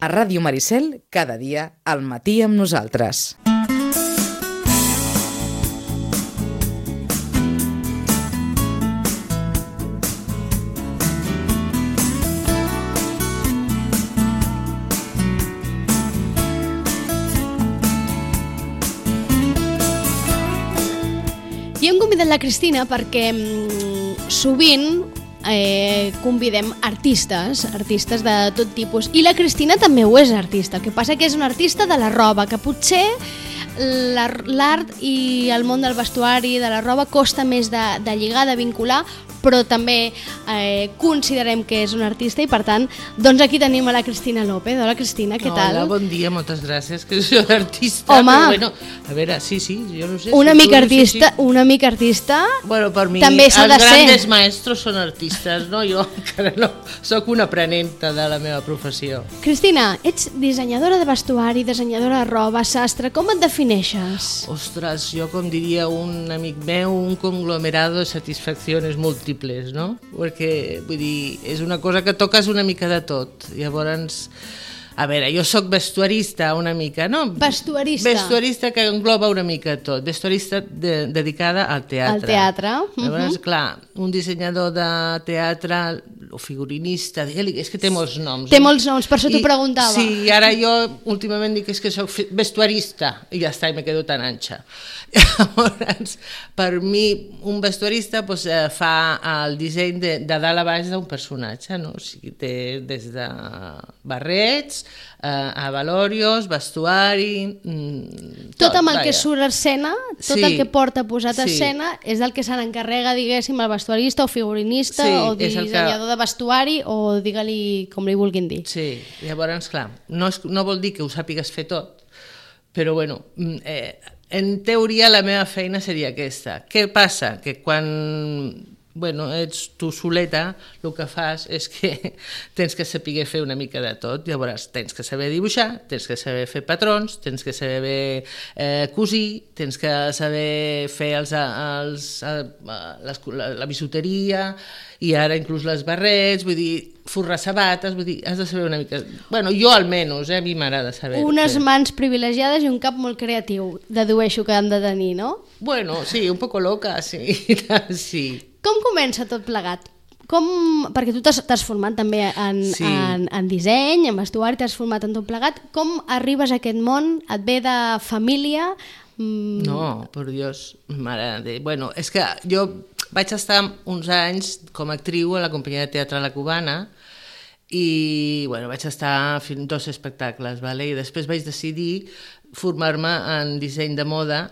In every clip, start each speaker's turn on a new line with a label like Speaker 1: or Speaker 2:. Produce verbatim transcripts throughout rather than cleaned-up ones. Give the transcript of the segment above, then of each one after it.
Speaker 1: A Ràdio Maricel, cada dia, al matí amb nosaltres.
Speaker 2: I hem convidat la Cristina perquè mm, sovint eh, convidem artistes, artistes de tot tipus, i la Cristina també ho és artista. El que passa que és una artista de la roba, que potser l'art i el món del vestuari, de la roba, costa més de, de lligar, de vincular, però també eh, considerem que és un artista i per tant, doncs aquí tenim a la Cristina López. Hola Cristina, què tal?
Speaker 3: Hola, bon dia, moltes gràcies, que soy artista.
Speaker 2: Home,
Speaker 3: però bueno, a veure, sí, sí, jo no sé.
Speaker 2: Una
Speaker 3: si
Speaker 2: mica
Speaker 3: tu,
Speaker 2: artista,
Speaker 3: sí, sí.
Speaker 2: una mica artista,
Speaker 3: bueno, per mi,
Speaker 2: també s'ha de
Speaker 3: els
Speaker 2: ser.
Speaker 3: grandes maestros són artistes, no? Jo encara no, soc una aprenenta de la meva professió.
Speaker 2: Cristina, ets dissenyadora de vestuari, dissenyadora de roba, sastre, com et defineixes?
Speaker 3: Ostres, jo com diria un amic meu, un conglomerado de satisfaccions múltiples, no? Perquè, vull dir, és una cosa que toques una mica de tot. Llavors, a veure, jo sóc vestuarista una mica, no?
Speaker 2: Vestuarista.
Speaker 3: Vestuarista que engloba una mica tot. Vestuarista de, dedicada al teatre.
Speaker 2: Al teatre.
Speaker 3: Llavors,
Speaker 2: uh-huh.
Speaker 3: clar, un dissenyador de teatre o figurinista, digue-li, és que té molts noms.
Speaker 2: Té molts noms, per això t'ho preguntava.
Speaker 3: Sí, i ara jo últimament dic és que soc vestuarista, i ja està, i me quedo tan anxa. Llavors, per mi, un vestuarista pues, fa el disseny de, de dalt a baix d'un personatge, no? O sigui, té des de barrets, eh, a valorios, vestuari... Mm,
Speaker 2: tot, tot amb el vaja. Que surt a escena, tot
Speaker 3: sí,
Speaker 2: el que porta posat a
Speaker 3: sí.
Speaker 2: escena, és del que se n'encarrega, diguéssim, el vestuarista o figurinista
Speaker 3: sí,
Speaker 2: o dissenyador que... de vestuari o digue-li com li vulguin dir.
Speaker 3: Sí, llavors, clar, no, és, no vol dir que ho sàpigues fer tot, però bueno... Eh, en teoria la meva feina seria aquesta. Què passa? Que quan bueno, ets tu soleta, el que fas és que tens que saber fer una mica de tot. Llavors tens que saber dibuixar, tens que saber fer patrons, tens que saber eh, cosir, tens que saber fer els, els, les, la, la bisuteria i ara inclús les barrets, vull dir, forrar sabates, vull dir, has de saber una mica... Bueno, jo almenys, eh, a mi m'agrada saber.
Speaker 2: Unes mans privilegiades i un cap molt creatiu, dedueixo que han de tenir, no?
Speaker 3: Bueno, sí, un poco loca, sí, sí.
Speaker 2: Com comença tot plegat? Com... Perquè tu t'has format també en, sí. en, en disseny, en vestuari, t'has format en tot plegat. Com arribes a aquest món? Et ve de família? Mm...
Speaker 3: No, per Dios, mare de... Bueno, és que jo vaig estar uns anys com a actriu a la companyia de teatre La Cubana i bueno, vaig estar fent dos espectacles, vale? I després vaig decidir formar-me en disseny de moda.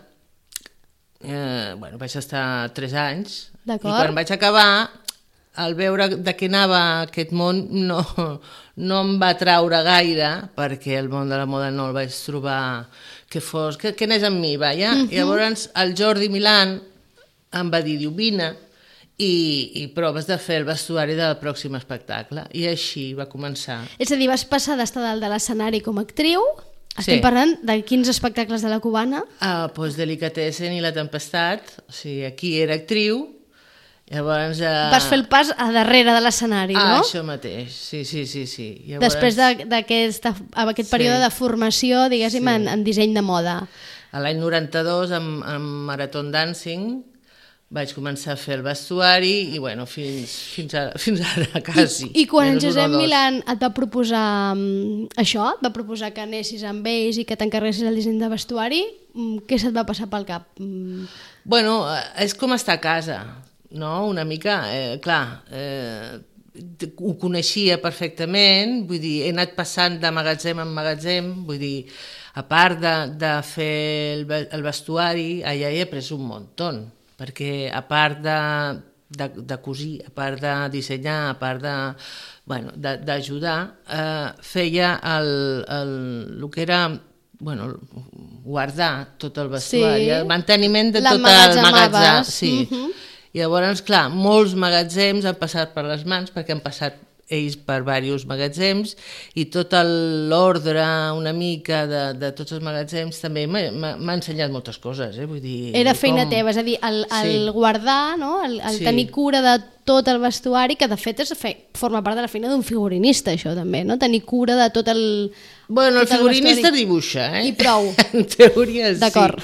Speaker 3: Eh, bueno, vaig estar tres anys i quan vaig acabar, al veure de què anava aquest món no, no em va atraure gaire perquè el món de la moda no el vaig trobar que fos, que, que anés amb mi, vaja. Uh-huh. I llavors el Jordi Milán em va dir, diu, vine i, i proves de fer el vestuari del pròxim espectacle. I així va començar.
Speaker 2: És a dir, vas passar d'estar dalt de l'escenari com a actriu. Estem
Speaker 3: sí.
Speaker 2: parlant de quins espectacles de La Cubana?
Speaker 3: Ah, doncs Delicatessen i La Tempestat. O sigui, aquí era actriu. Llavors... Eh...
Speaker 2: Vas fer el pas a darrere de l'escenari,
Speaker 3: ah,
Speaker 2: no?
Speaker 3: Això mateix, sí, sí, sí. sí. Llavors...
Speaker 2: Després d'aquest aquest període sí. de formació, diguéssim, sí. en, en disseny de moda.
Speaker 3: A l'any noranta-dos, amb, amb Marathon Dancing, vaig començar a fer el vestuari i, bueno, fins, fins, ara, fins ara, quasi.
Speaker 2: I, i quan en Josep Milán et va proposar um, això, et va proposar que anessis amb ells i que t'encarreguessis el disseny de vestuari, um, què se't va passar pel cap? Um...
Speaker 3: Bueno, és com estar a casa, no? Una mica, eh, clar, eh, ho coneixia perfectament, vull dir, he anat passant de magatzem en magatzem, vull dir, a part de, de fer el, el vestuari, allà he après un muntó, perquè a part de, de, de cosir, a part de dissenyar, a part de, bueno, d'ajudar, eh, feia el, el, el que era bueno, guardar tot el vestuari, sí. el manteniment de tot el magatzem. Sí. Uh-huh. I llavors, clar, molts magatzems han passat per les mans perquè han passat ells per diversos magatzems i tot l'ordre una mica de, de tots els magatzems també m'ha ensenyat moltes coses. Eh? Vull dir,
Speaker 2: era feina
Speaker 3: com...
Speaker 2: teva, és a dir, el, el sí. guardar, no? el, el sí. tenir cura de tot el vestuari, que de fet és fe... forma part de la feina d'un figurinista, això també, no? Tenir cura de tot el...
Speaker 3: Bueno, el
Speaker 2: tot
Speaker 3: figurinista
Speaker 2: el
Speaker 3: dibuixa, eh?
Speaker 2: I prou.
Speaker 3: En teoria sí.
Speaker 2: D'acord.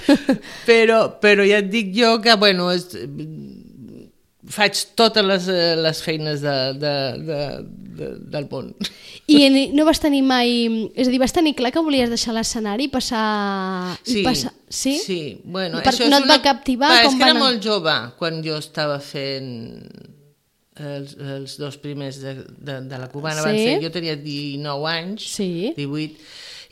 Speaker 3: Però, però ja et dic jo que, bueno, és... faig totes les, les feines de, de, de, de, del món.
Speaker 2: I no vas tenir mai... És a dir, vas tenir clar que volies deixar l'escenari i passar...
Speaker 3: Sí,
Speaker 2: i passar... sí?
Speaker 3: sí. Bueno,
Speaker 2: per,
Speaker 3: això
Speaker 2: no
Speaker 3: és
Speaker 2: et
Speaker 3: una...
Speaker 2: va captivar?
Speaker 3: Va,
Speaker 2: com
Speaker 3: és que era
Speaker 2: anar?
Speaker 3: molt jove quan jo estava fent els, els dos primers de, de, de la cubana.
Speaker 2: Sí?
Speaker 3: Van ser, jo tenia dinou anys,
Speaker 2: Sí.
Speaker 3: divuit,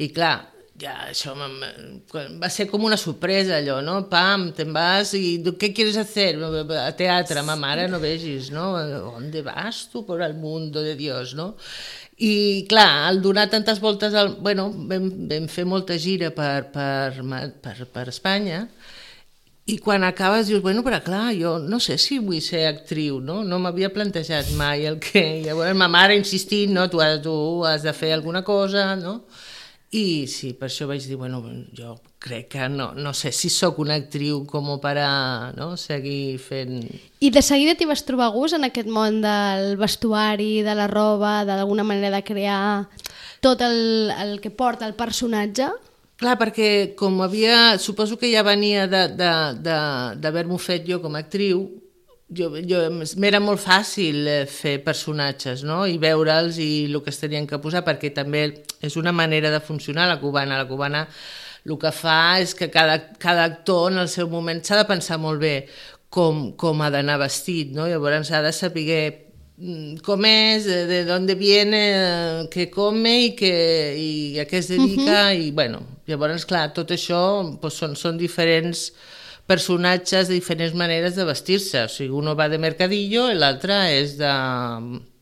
Speaker 3: i clar, ja, això va ser com una sorpresa allò, no? Pam, te'n vas i què quieres hacer? A teatre, ma mare, no vegis, no? ¿Dónde vas tu por el mundo de Dios, no? I clar, al donar tantes voltes, al... bueno, vam, vam fer molta gira per, per, per, per Espanya, i quan acabes dius, bueno, però clar, jo no sé si vull ser actriu, no? No m'havia plantejat mai el que... Llavors ma mare insistint, no? Tu has, tu has de fer alguna cosa, no? I sí, per això vaig dir, bueno, jo crec que no, no sé si sóc una actriu com per a, no, seguir fent...
Speaker 2: I de seguida t'hi vas trobar gust en aquest món del vestuari, de la roba, d'alguna manera de crear tot el, el que porta el personatge?
Speaker 3: Clar, perquè com havia... Suposo que ja venia d'haver-m'ho fet jo com a actriu, jo, jo, m'era molt fàcil fer personatges, no? I veure'ls i el que es tenien que posar, perquè també és una manera de funcionar la cubana. La cubana el que fa és que cada, cada actor en el seu moment s'ha de pensar molt bé com, com ha d'anar vestit, no? Llavors ha de saber com és, de d'on viene, què come i, que, i a què es dedica, uh-huh. I bueno, llavors clar, tot això pues, són, són diferents personatges de diferents maneres de vestir-se, o sigui, uno va de mercadillo i l'altre és de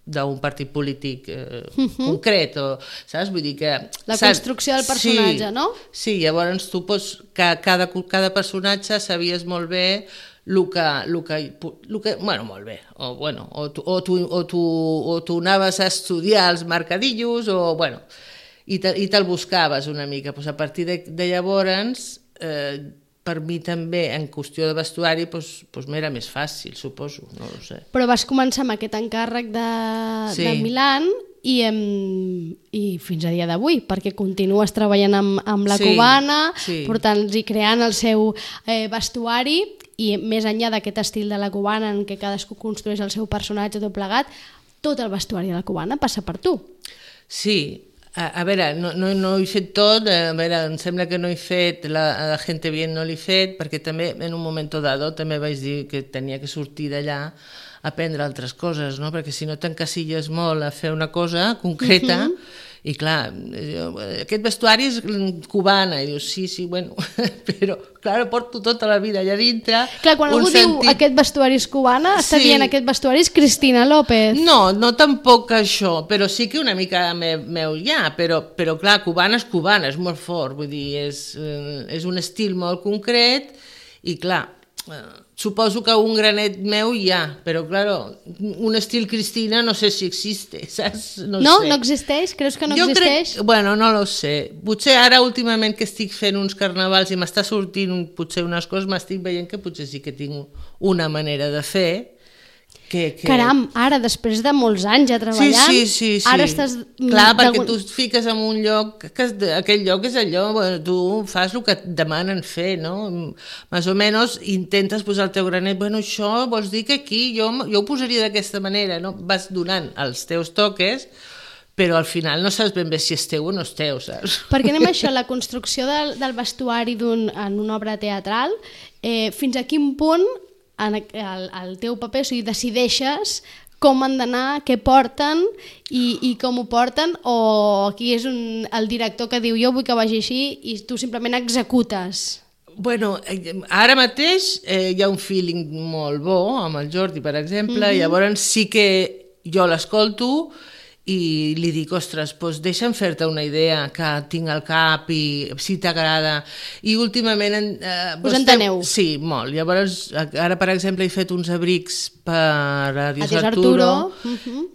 Speaker 3: d'un partit polític eh, uh-huh. concret, o, saps? Vull dir que...
Speaker 2: La construcció del personatge,
Speaker 3: sí,
Speaker 2: no?
Speaker 3: Sí, llavors tu pots, cada, cada personatge sabies molt bé el que, el que, el que bueno, molt bé, o, bueno, o, tu, o, tu, o, tu, o tu anaves a estudiar els mercadillos, o bueno, i, te, i te'l buscaves una mica. Pues a partir de, de llavors... Eh, per mi també, en qüestió de vestuari, doncs, doncs m'era més fàcil, suposo, no ho sé.
Speaker 2: Però vas començar amb aquest encàrrec de, sí. de Milán i, em, i fins a dia d'avui, perquè continues treballant amb, amb la
Speaker 3: sí,
Speaker 2: cubana,
Speaker 3: sí.
Speaker 2: portant i creant el seu eh, vestuari, i més enllà d'aquest estil de la cubana en què cadascú construeix el seu personatge tot plegat, tot el vestuari de la cubana passa per tu.
Speaker 3: Sí. A, a veure, no, no, no ho he fet tot, a veure, em sembla que no he fet, la, la Gente Bien no l'he fet, perquè també en un moment dado també vaig dir que tenia que sortir d'allà a aprendre altres coses, no? Perquè si no t'encasilles molt a fer una cosa concreta, uh-huh. I clar, aquest vestuari és cubana, i dius, sí, sí, bueno, però clar, porto tota la vida allà dintre.
Speaker 2: Clar, quan algú sentit... diu aquest vestuari és cubana, sí. Està dient aquest vestuari és Cristina López.
Speaker 3: No, no tampoc això, però sí que una mica meu ja, però, però clar, cubana és cubana, és molt fort, vull dir, és, és un estil molt concret, i clar, suposo que un granet meu hi ha, però claro, un estil Cristina no sé si existe, saps? No,
Speaker 2: no,
Speaker 3: sé.
Speaker 2: No existeix? Creus que no
Speaker 3: jo
Speaker 2: existeix?
Speaker 3: Crec, bueno, no lo sé. Potser ara últimament que estic fent uns carnavals i m'està sortint potser unes coses, m'estic veient que potser sí que tinc una manera de fer. Que, que...
Speaker 2: Caram, ara, després de molts anys ja treballant,
Speaker 3: sí, sí, sí, sí.
Speaker 2: Ara estàs...
Speaker 3: Clar, perquè tu et fiques en un lloc, que aquell lloc és allò, bueno, tu fas el que et demanen fer, no? Més o menys intentes posar el teu granet, bueno, això vols dir que aquí jo, jo ho posaria d'aquesta manera, no? Vas donant els teus toques, però al final no saps ben bé si és teu o no és teu, saps?
Speaker 2: Perquè anem a això, la construcció del, del vestuari d'un, en una obra teatral, eh, fins a quin punt en el, el teu paper, o sigui, decideixes com han d'anar, què porten i, i com ho porten, o aquí és un, el director que diu jo vull que vagi així i tu simplement executes?
Speaker 3: Bueno, ara mateix eh, hi ha un feeling molt bo amb el Jordi, per exemple, mm-hmm. Llavors sí que jo l'escolto i li dic, ostres, doncs deixa'm fer-te una idea que tinc al cap i si t'agrada. I últimament... Eh,
Speaker 2: Us enteneu?
Speaker 3: Sí, molt. Llavors, ara, per exemple, he fet uns abrics per a Adiós,
Speaker 2: Adiós
Speaker 3: Arturo,
Speaker 2: Arturo. Uh-huh.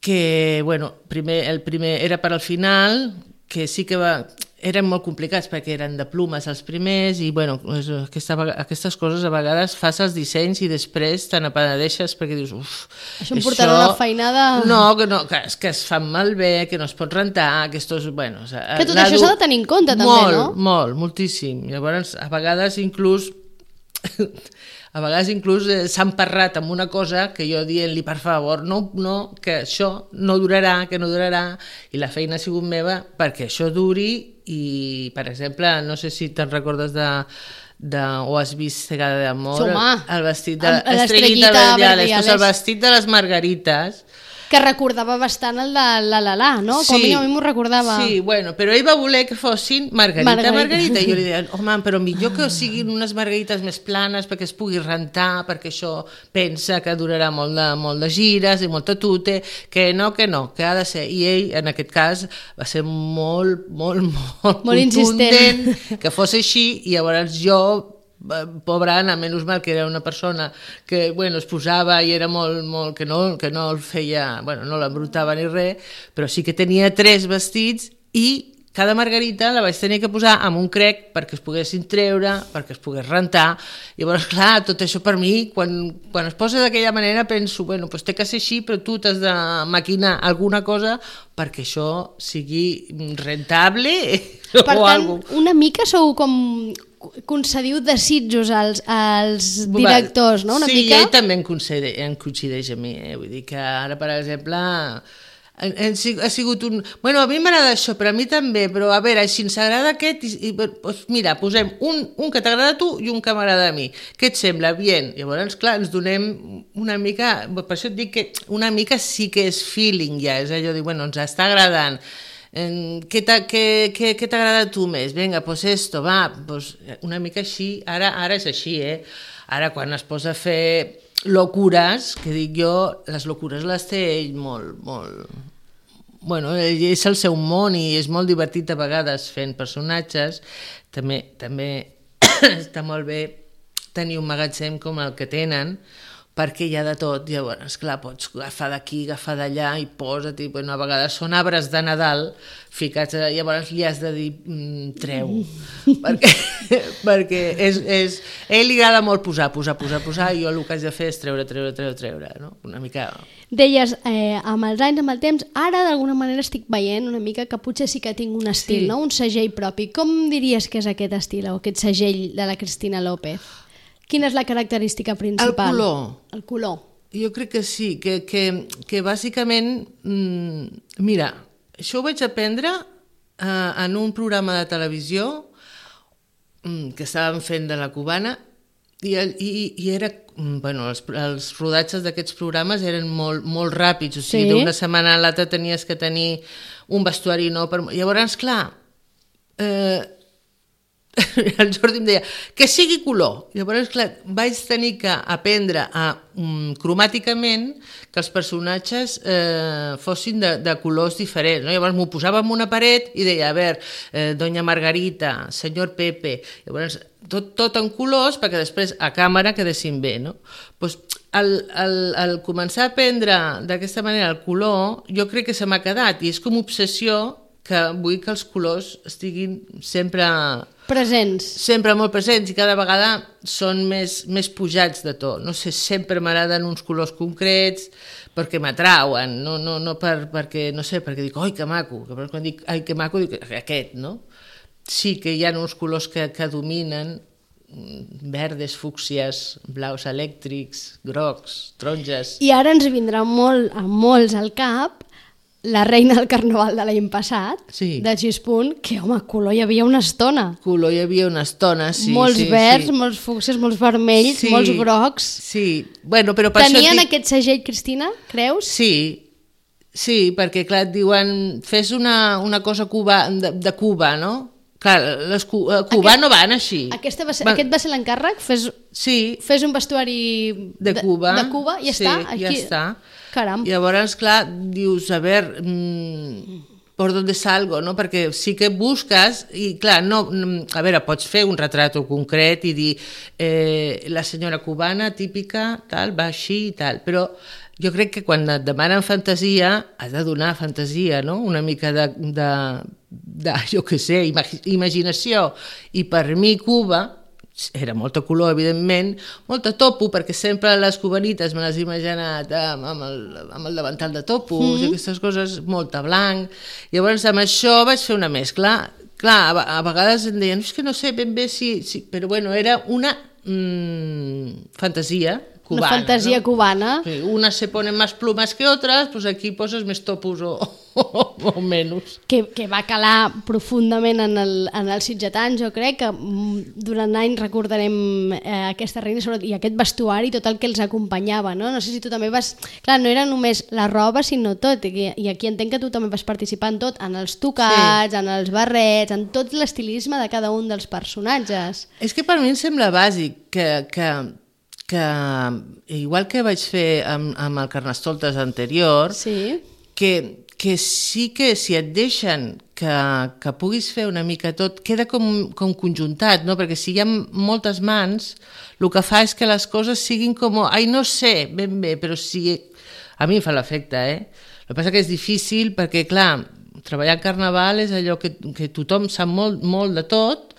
Speaker 3: Que, bueno, primer, el primer era per al final, que sí que va... eren molt complicats perquè eren de plumes els primers i bueno, aquesta, aquestes coses a vegades fas els dissenys i després te n'apenedeixes perquè dius uf,
Speaker 2: això em portarà una feinada...
Speaker 3: No, que, no que, que es fan malbé, que no es pot rentar, que esto és... Bueno, o sea,
Speaker 2: que tot això s'ha de tenir en compte també,
Speaker 3: molt,
Speaker 2: no?
Speaker 3: Molt, molt, moltíssim. Llavors, a vegades inclús... a vegades inclús eh, s'han parrat amb una cosa que jo dient-li, per favor, no, no, que això no durarà, que no durarà, i la feina ha sigut meva perquè això duri i, per exemple, no sé si te'n recordes de, de o has vist Cegada d'amor, el vestit de l'Estrellita Verdiales, doncs el vestit de les Margarites,
Speaker 2: que recordava bastant el de la la la, no? Com sí, a mi m'ho recordava.
Speaker 3: Sí, bueno, però ell va voler que fossin Margarita, Margarita, Margarita, i jo li deia, home, però millor que siguin unes margarites més planes perquè es pugui rentar, perquè això pensa que durarà molt de, molt de gires i molta tute, que no, que no, que ha de ser. I ell, en aquest cas, va ser molt, molt, molt,
Speaker 2: molt insistent
Speaker 3: que fos així, i llavors jo, pobra Anna, menys mal que era una persona que, bueno, es posava i era molt, molt, que no, que no el feia, bueno, no l'embrutava ni res, però sí que tenia tres vestits i cada margarita la vaig tenir que posar amb un crec perquè es poguessin treure, perquè es pogués rentar. I llavors, clar, tot això per mi, quan, quan es posa d'aquella manera penso, bueno, doncs té que ser així, però tu t'has de maquinar alguna cosa perquè això sigui rentable
Speaker 2: per
Speaker 3: o
Speaker 2: tant,
Speaker 3: alguna cosa.
Speaker 2: Una mica sou com concediu desitjos als, als directors, no? Una
Speaker 3: sí,
Speaker 2: mica...
Speaker 3: ell també em coincideix, em coincideix a mi, eh? Vull dir que ara, per exemple, ha sigut un... Bueno, a mi m'agrada això, però a mi també, però a veure, si ens agrada aquest, i, i, doncs mira, posem un, un que t'agrada a tu i un que m'agrada a mi. Què et sembla? Bien. Llavors, clar, ens donem una mica... Per això et dic que una mica sí que és feeling ja, és allò de dir, bueno, ens està agradant. Què t'agrada a tu més? Vinga, pues esto, va, pues una mica així, ara, ara és així, eh? Ara quan es posa a fer locures, que dic jo, les locures les té ell molt, molt... Bueno, ell és el seu món i és molt divertit a vegades fent personatges, també, també està molt bé tenir un magatzem com el que tenen, perquè hi ha de tot, llavors, esclar, pots agafar d'aquí, agafar d'allà i posa't, i bueno, a vegades són arbres de Nadal ficats, llavors li has de dir mm, treu, perquè, perquè és, és, a ell li agrada molt posar, posar, posar, posar, i jo el que haig de fer és treure, treure, treure, treure, no? Una mica...
Speaker 2: Deies, eh, amb els anys, amb el temps, ara d'alguna manera estic veient una mica que potser sí que tinc un estil, sí. No? Un segell propi. Com diries que és aquest estil o aquest segell de la Cristina López? Quina és la característica principal?
Speaker 3: El color.
Speaker 2: El color.
Speaker 3: Jo crec que sí, que, que, que bàsicament... Mmm, mira, això ho vaig aprendre eh, en un programa de televisió mm, que estàvem fent de la cubana i, i, i era... Bueno, els, els rodatges d'aquests programes eren molt, molt ràpids, o sigui, sí? D'una setmana a l'altra tenies que tenir un vestuari nou. Per... Llavors, clar... Eh, el Jordi em deia que sigui color, llavors clar, vaig tenir que aprendre a um, cromàticament que els personatges eh, fossin de, de colors diferents, no? Llavors m'ho posava en una paret i deia, a veure, eh, Doña Margarita, senyor Pepe, llavors tot, tot en colors perquè després a càmera quedessin bé, no? Pues, al, al, al començar a aprendre d'aquesta manera el color, jo crec que se m'ha quedat i és com obsessió que vull que els colors estiguin sempre...
Speaker 2: Presents.
Speaker 3: Sempre molt presents i cada vegada són més, més pujats de to. No sé, sempre m'agraden uns colors concrets perquè m'atrauen, no, no, no per, perquè, no sé, perquè dic, oi, que maco, que quan dic, ai, que maco, dic, aquest, no? Sí que hi ha uns colors que, que dominen, verdes, fúcsies, blaus elèctrics, grocs, taronges...
Speaker 2: I ara ens vindrà molt, a molts al cap la reina del carnaval de l'any passat, sí. De Gispunt, que, home, color hi havia una estona.
Speaker 3: Color hi havia una estona, sí.
Speaker 2: Molts
Speaker 3: sí,
Speaker 2: verds,
Speaker 3: sí.
Speaker 2: Molts fúcsies, molts vermells, sí, molts grocs.
Speaker 3: Sí, bueno, però per
Speaker 2: Tenien
Speaker 3: això... Tenien
Speaker 2: aquest segell, Cristina, creus?
Speaker 3: Sí, sí, perquè, clar, et diuen, fes una, una cosa cuba, de, de Cuba, no? Clar, les cu a Cuba aquest, no van així.
Speaker 2: Aquesta va ser, va... Aquest va ser l'encàrrec? Fes,
Speaker 3: sí.
Speaker 2: Fes un vestuari
Speaker 3: de Cuba.
Speaker 2: De, de Cuba i ja
Speaker 3: sí,
Speaker 2: està?
Speaker 3: Aquí... ja està.
Speaker 2: Caram.
Speaker 3: Llavors, clar, dius, a veure, mmm, por dónde salgo, no? Perquè sí que busques, i clar, no, a veure, pots fer un retrat concret i dir eh, la senyora cubana típica, tal, va així i tal, però jo crec que quan et demanen fantasia has de donar fantasia, no? Una mica de, de, de, jo què sé, imaginació. I per mi Cuba era molta color, evidentment, molta topo, perquè sempre les cubanites me les he imaginat amb, amb, el, amb el davantal de topos mm. i aquestes coses, molta blanc. Llavors, amb això vaig fer una mescla. Clar, a, a vegades em deien, és que no sé ben bé si... si però bueno, era una mm, fantasia cubana.
Speaker 2: Una fantasia
Speaker 3: ¿no?
Speaker 2: cubana.
Speaker 3: Sí, unas se ponen más plumas que otras, pues aquí poses més topos o, o, o menys.
Speaker 2: Que, que va calar profundament en, el, en els sitgetans, jo crec que durant anys recordarem eh, aquesta reina i aquest vestuari, tot el que els acompanyava, no? No sé si tu també vas... Clar, no era només la roba, sinó tot, i, i aquí entenc que tu també vas participar en tot, en els tocats, sí. en els barrets, en tot l'estilisme de cada un dels personatges.
Speaker 3: És que per mi em sembla bàsic que... que que igual que vaig fer amb, amb el Carnestoltes anterior,
Speaker 2: sí.
Speaker 3: que, que sí que si et deixen que, que puguis fer una mica tot, queda com, com conjuntat, no? Perquè si hi ha moltes mans, el que fa és que les coses siguin com, ai, no sé ben bé, però sí, a mi em fa l'efecte, eh? El que passa que és difícil perquè, clar, treballar en carnaval és allò que, que tothom sap molt, molt de tot.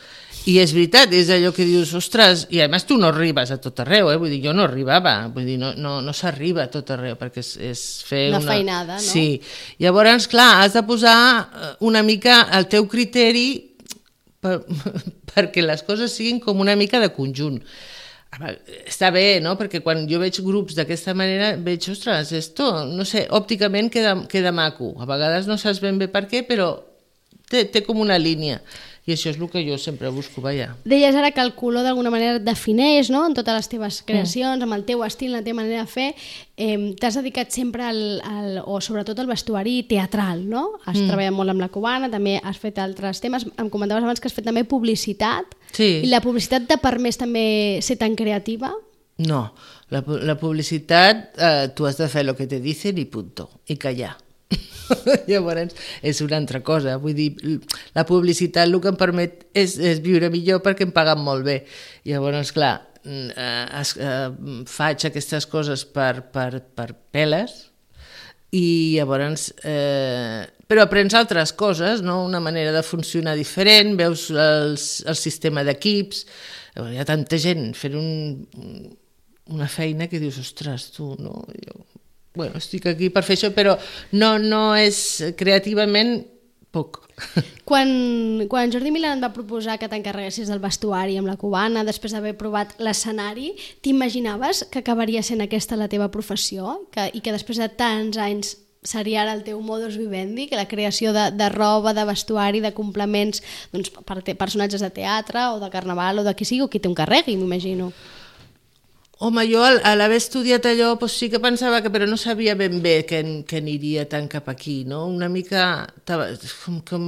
Speaker 3: I és veritat, és allò que dius, ostres, i a més tu no arribes a tot arreu, eh? Vull dir, jo no arribava, vull dir, no, no, no s'arriba a tot arreu, perquè és, és fer
Speaker 2: una...
Speaker 3: Una
Speaker 2: feinada, no?
Speaker 3: Sí, llavors, clar, has de posar una mica el teu criteri per, perquè les coses siguin com una mica de conjunt. Està bé, no? Perquè quan jo veig grups d'aquesta manera, veig, ostres, esto, no sé, òpticament queda, queda maco. A vegades no saps ben bé per què, però té, té com una línia. I això és el que jo sempre busco, vaja.
Speaker 2: Deies ara que el color d'alguna manera et defineix, no?, en totes les teves creacions, mm. amb el teu estil, la teva manera de fer. Eh, T'has dedicat sempre al, al, o sobretot al vestuari teatral, no? Has mm. treballat molt amb la cubana, també has fet altres temes. Em comentaves abans que has fet també publicitat.
Speaker 3: Sí.
Speaker 2: I la publicitat t'ha permès també ser tan creativa?
Speaker 3: No, la, la publicitat eh, tu has de fer el que te dicen i punto, i callar. Llavors és una altra cosa, vull dir, la publicitat el que em permet és, és viure millor perquè em paguen molt bé. Llavors, clar, eh, es, eh, faig aquestes coses per, per, per peles i llavors eh, però aprens altres coses, no? Una manera de funcionar diferent, veus els, el sistema d'equips, hi ha tanta gent fent un, una feina que dius, ostres, tu, no? Jo... Bueno, estic aquí per fer això, però no, no és creativament poc.
Speaker 2: Quan, quan Jordi Milà et va proposar que t'encarreguessis del vestuari amb la cubana, després d'haver provat l'escenari, t'imaginaves que acabaria sent aquesta la teva professió que, i que després de tants anys seria ara el teu modus vivendi, que la creació de, de roba, de vestuari, de complements doncs, per te, personatges de teatre o de carnaval o de qui sigui, o qui té un carregui, m'imagino.
Speaker 3: Home, jo a l'haver estudiat allò doncs sí que pensava que, però no sabia ben bé que, que aniria tant cap aquí, no? Una mica... Com, com,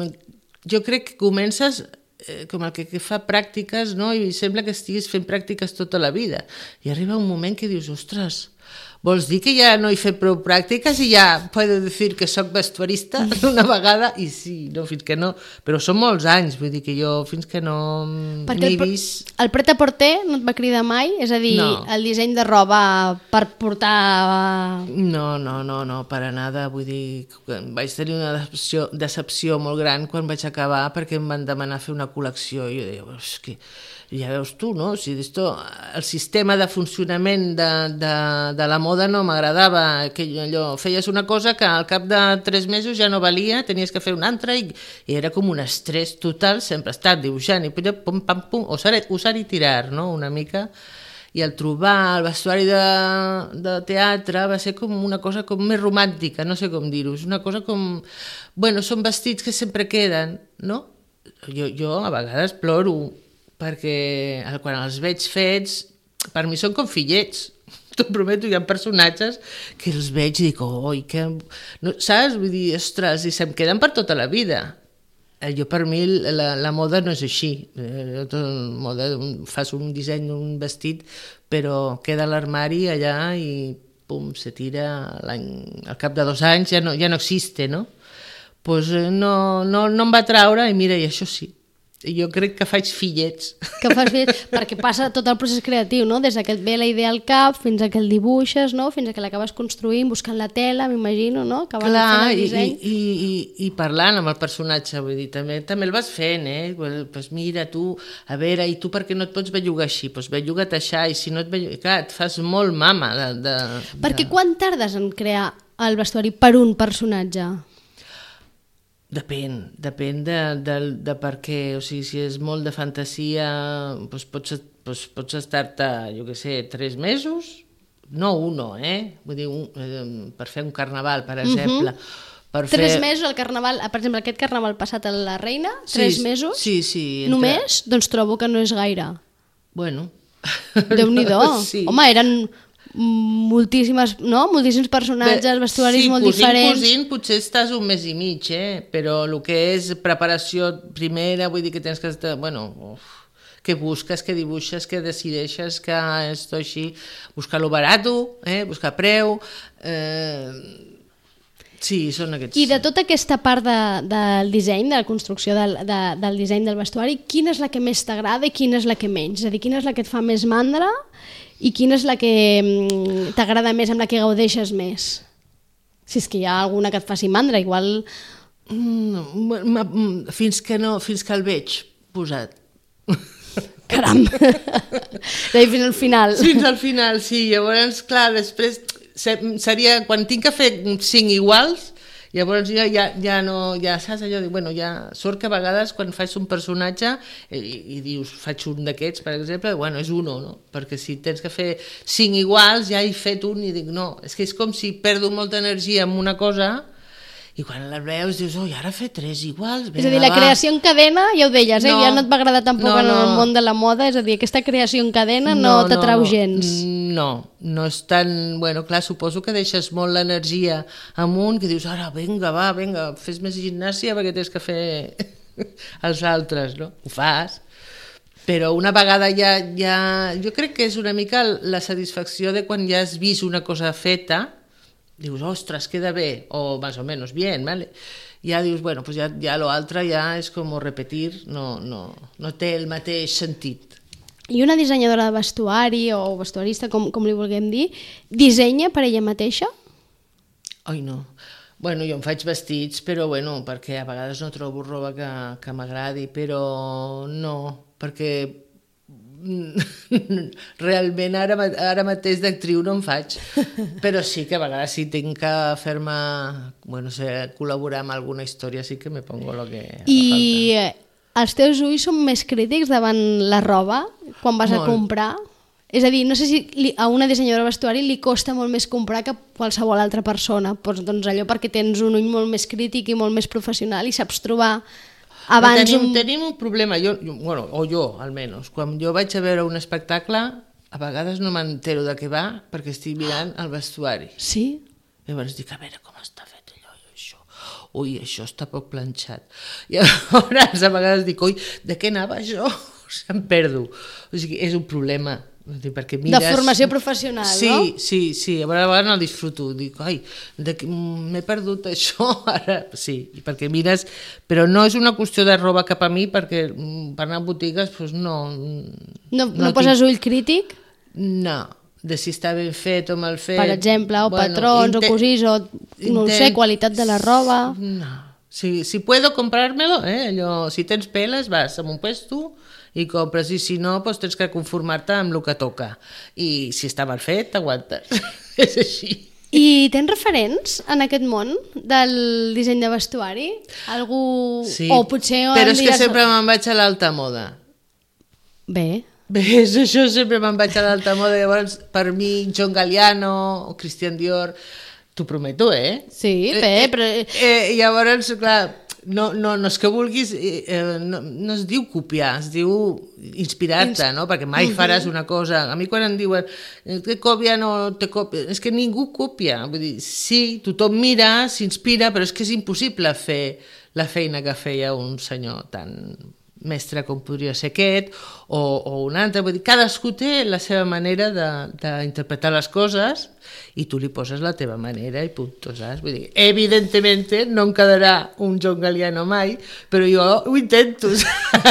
Speaker 3: jo crec que comences eh, com el que, que fa pràctiques, no? I sembla que estiguis fent pràctiques tota la vida. I arriba un moment que dius, ostres, vols dir que ja no he fet prou pràctiques i ja puedo dir que soc vestuarista d'una vegada? I sí, no, fins que no, però són molts anys, vull dir que jo fins que no m'he vist...
Speaker 2: El pret-a-porter no et va cridar mai? És a dir, no. El disseny de roba per portar...
Speaker 3: No, no, no, no, per a nada, vull dir, vaig tenir una decepció, decepció molt gran quan vaig acabar perquè em van demanar fer una col·lecció i jo deia, és que ja veus tu, no? O sigui, esto, el sistema de funcionament de, de, de la moda no m'agradava, que allò, feies una cosa que al cap de tres mesos ja no valia, tenies que fer una altra i, i era com un estrès total, sempre estar dibuixant i pum, pam, pum, usar, usar i tirar, no? Una mica. I el trobar el vestuari de, de teatre va ser com una cosa com més romàntica, no sé com dir-ho, és una cosa com... Bueno, són vestits que sempre queden, no? Jo, jo a vegades ploro, perquè quan els veig fets, per mi són com fillets. T'ho prometo, hi ha personatges que els veig i dic, oi, que... No, saps? Vull dir, ostres, i se'm queden per tota la vida. Jo, per mi, la, la moda no és així. Jo, moda, fas un disseny, un vestit, però queda a l'armari allà i pum, se tira al cap de dos anys, ja no, ja no existe, no? Pues no, no, no em va traure i mira, i això sí. jo crec que faig fillets.
Speaker 2: Que fas bé, perquè passa tot el procés creatiu, no? Des que et ve la idea al cap, fins a que el dibuixes, no? Fins a que l'acabes construint, buscant la tela, m'imagino, no? Acabant
Speaker 3: Clar,
Speaker 2: de fer el
Speaker 3: i,
Speaker 2: disseny.
Speaker 3: i, i, i parlant amb el personatge, vull dir, també, també el vas fent, eh? Pues mira, tu, a veure, i tu per què no et pots bellugar així? Pues belluga't això, i si no et bellugues... Clar, et fas molt mama de... de
Speaker 2: Perquè
Speaker 3: de...
Speaker 2: quan tardes en crear el vestuari per un personatge?
Speaker 3: Depèn, depèn de, de, de per què, o sigui, si és molt de fantasia, doncs pots, doncs pots estar-te, jo què sé, tres mesos, no uno, eh? Vull dir, un, eh, per fer un carnaval, per exemple. Uh-huh. Per
Speaker 2: Tres
Speaker 3: fer...
Speaker 2: mesos al carnaval, per exemple, aquest carnaval passat a la Reina, tres
Speaker 3: sí,
Speaker 2: mesos?
Speaker 3: Sí, sí. Entre...
Speaker 2: Només? Doncs trobo que no és gaire.
Speaker 3: Bueno...
Speaker 2: Déu-n'hi-do.
Speaker 3: Sí.
Speaker 2: Home, eren moltíssimes, no? Moltíssims personatges, vestuaris
Speaker 3: sí,
Speaker 2: molt
Speaker 3: cosint,
Speaker 2: diferents.
Speaker 3: Cosint, potser estàs un mes i mig, eh? Però el que és preparació primera, vull dir que tens que estar... Bueno, uf, que busques, que dibuixes, que decideixes que esto així... Buscar-lo barato, eh? Buscar preu... Eh... Sí, són aquests...
Speaker 2: I de tota aquesta part de, del disseny, de la construcció del, de, del disseny del vestuari, quina és la que més t'agrada i quina és la que menys? És a dir, quina és la que et fa més mandra i quina és la que t'agrada més, amb la que gaudeixes més? Si és que hi ha alguna que et faci mandra, igual...
Speaker 3: Mm, fins que no, fins que el veig posat.
Speaker 2: Caram! Fins al final.
Speaker 3: Fins al final, sí. Llavors, clar, després... seria, quan tinc que fer cinc iguals, llavors ja, ja, ja no, ja saps allò, de, bueno, ja sort que a vegades quan faig un personatge i, i dius, faig un d'aquests, per exemple, bueno, és uno, no? Perquè si tens que fer cinc iguals, ja he fet un i dic, no, és que és com si perdo molta energia en una cosa i quan la veus dius, oi, ara fer tres iguals, vinga,
Speaker 2: és a dir, la
Speaker 3: va.
Speaker 2: creació en cadena, ja ho deies, eh?
Speaker 3: No,
Speaker 2: ja no et va agradar tampoc
Speaker 3: no,
Speaker 2: en el
Speaker 3: no.
Speaker 2: món de la moda, és a dir, aquesta creació en cadena no,
Speaker 3: No,
Speaker 2: t'atrau
Speaker 3: no,
Speaker 2: gens.
Speaker 3: No, no és tan... Bueno, clar, suposo que deixes molt l'energia amunt, que dius, ara, vinga, va, vinga, fes més gimnàsia perquè tens que fer els altres, no? Ho fas. Però una vegada ja, ja... Jo crec que és una mica la satisfacció de quan ja has vist una cosa feta, dius, ostres, queda bé, o más o menos bien, ¿vale? Ja dius, bueno, pues ja, ja lo altre ja és com repetir, no, no, no té el mateix sentit.
Speaker 2: I una dissenyadora de vestuari o vestuarista, com, com li vulguem dir, dissenya per ella mateixa?
Speaker 3: Ai, no. Bueno, jo em faig vestits, però bueno, perquè a vegades no trobo roba que, que m'agradi, però no, perquè realment ara, ara mateix d'actriu no en faig, però sí que a vegades si tinc que fer-me, bueno, sé, col·laborar amb alguna història sí que me pongo lo que haga
Speaker 2: I
Speaker 3: falta.
Speaker 2: Els teus ulls són més crítics davant la roba quan vas
Speaker 3: Molt.
Speaker 2: a comprar? És a dir, no sé si li, a una dissenyadora de vestuari li costa molt més comprar que qualsevol altra persona, doncs, doncs allò perquè tens un ull molt més crític i molt més professional i saps trobar abans
Speaker 3: tenim,
Speaker 2: un...
Speaker 3: tenim un problema, jo, jo, bueno, o jo almenys, quan jo vaig a veure un espectacle a vegades no m'entero de què va perquè estic mirant el vestuari.
Speaker 2: Sí?
Speaker 3: Llavors dic, a veure com està fet allò i això. Ui, això està poc planxat. I llavors a vegades dic, ui, de què anava això? O sigui, em perdo. O sigui, és un problema. Perquè mires...
Speaker 2: De formació professional,
Speaker 3: sí,
Speaker 2: no?
Speaker 3: Sí, sí, a vegades no disfruto. Dic, ai, m'he perdut això ara. Sí, perquè mires... Però no és una qüestió de roba cap a mi, perquè per anar a botigues, doncs no...
Speaker 2: No, no, no poses tinc... ull crític?
Speaker 3: No, de si està ben fet o mal fet.
Speaker 2: Per exemple, o
Speaker 3: bueno,
Speaker 2: patrons,
Speaker 3: intent...
Speaker 2: o cosís, o no ho sé, qualitat de la roba...
Speaker 3: No, si, si puedo comprármelo, eh? Allò, si tens peles, vas a un puesto i compres, i si no, doncs tens que conformar-te amb el que toca. I si està mal fet, t'aguantes. És així.
Speaker 2: I tens referents en aquest món del disseny de vestuari? Algú...
Speaker 3: Sí,
Speaker 2: o potser
Speaker 3: però és
Speaker 2: digues...
Speaker 3: que sempre me'n vaig a l'alta moda.
Speaker 2: Bé.
Speaker 3: Bé, és això, sempre me'n vaig a l'alta moda. Llavors, per mi, John Galliano o Christian Dior, t'ho prometo, eh?
Speaker 2: Sí, bé,
Speaker 3: eh,
Speaker 2: però...
Speaker 3: Eh, eh, llavors, clar... No, no, no és que vulguis, eh, no, no es diu copiar, es diu inspirar-te, no? Perquè mai faràs una cosa. A mi quan em diuen te copien o te copien, és que ningú copia. Vull dir, sí, tothom mira, s'inspira, però és que és impossible fer la feina que feia un senyor tan mestre com podria ser aquest o, o un altre. Vull dir, cadascú té la seva manera d'interpretar les coses i tu li poses la teva manera i punt, saps? Vull dir, evidentment no em quedarà un John Galliano mai, però jo ho intento, saps?